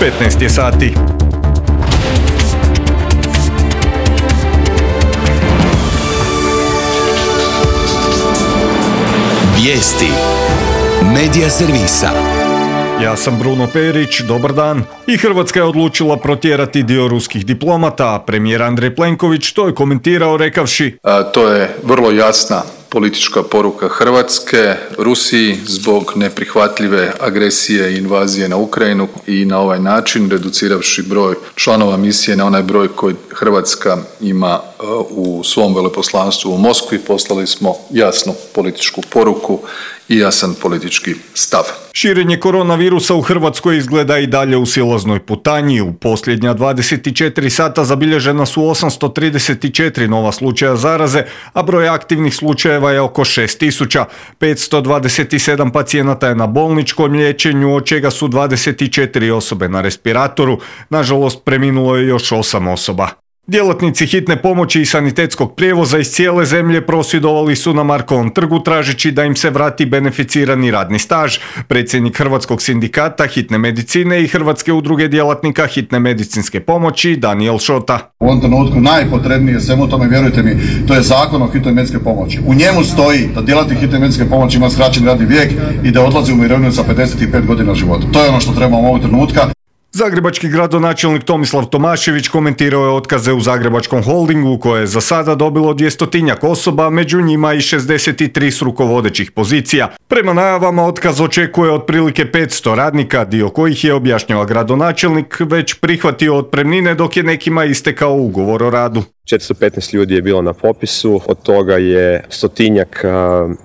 15 je sati. Vijesti Medija servisa. Ja sam Bruno Perić, dobar dan. I Hrvatska je odlučila protjerati dio ruskih diplomata, a premijer Andrej Plenković to je komentirao rekavši: To je vrlo jasna politička poruka Hrvatske Rusiji zbog neprihvatljive agresije i invazije na Ukrajinu i na ovaj način reduciravši broj članova misije na onaj broj koji Hrvatska ima u svom veleposlanstvu u Moskvi, poslali smo jasnu političku poruku i jasan politički stav. Širenje koronavirusa u Hrvatskoj izgleda i dalje u silaznoj putanji. U posljednja 24 sata zabilježena su 834 nova slučaja zaraze, a broj aktivnih slučajeva je oko 6000. 527 pacijenata je na bolničkom liječenju, od čega su 24 osobe na respiratoru. Nažalost, preminulo je još 8 osoba. Djelatnici hitne pomoći i sanitetskog prijevoza iz cijele zemlje prosvjedovali su na Markovom trgu tražeći da im se vrati beneficirani radni staž. Predsjednik Hrvatskog sindikata hitne medicine i Hrvatske udruge djelatnika hitne medicinske pomoći Danijel Šota. U ovom trenutku najpotrebnije svemu tome, vjerujte mi, to je Zakon o hitnoj medicinskoj pomoći. U njemu stoji da djelatnik hitne medicinske pomoći ima skraćeni radni vijek i da odlazi u mirovinu sa 55 godina života. To je ono što trebamo ovog trenutka. Zagrebački gradonačelnik Tomislav Tomašević komentirao je otkaze u Zagrebačkom holdingu koje je za sada dobilo 200-tinjak osoba, među njima i 63 s rukovodećih pozicija. Prema najavama otkaz očekuje otprilike 500 radnika, dio kojih je, objašnjava gradonačelnik, već prihvatio otpremnine dok je nekima istekao ugovor o radu. 415 ljudi je bilo na popisu, od toga je 100-tinjak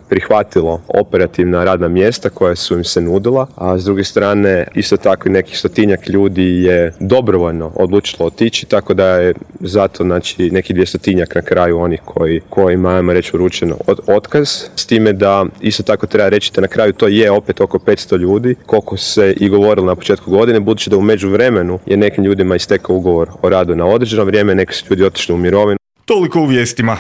prihvatilo operativna radna mjesta koja su im se nudila, a s druge strane isto tako i nekih 100-tinjak ljudi je dobrovoljno odlučilo otići, tako da je zato znači nekih 200-tinjak na kraju onih kojima, ajmo reći, uručeno otkaz. S time da isto tako treba reći da na kraju to je opet oko 500 ljudi, koliko se i govorilo na početku godine, budući da u međuvremenu je nekim ljudima istekao ugovor o radu na određeno vrijeme, neki su ljudi otišli u mirovinu. Toliko u vijestima.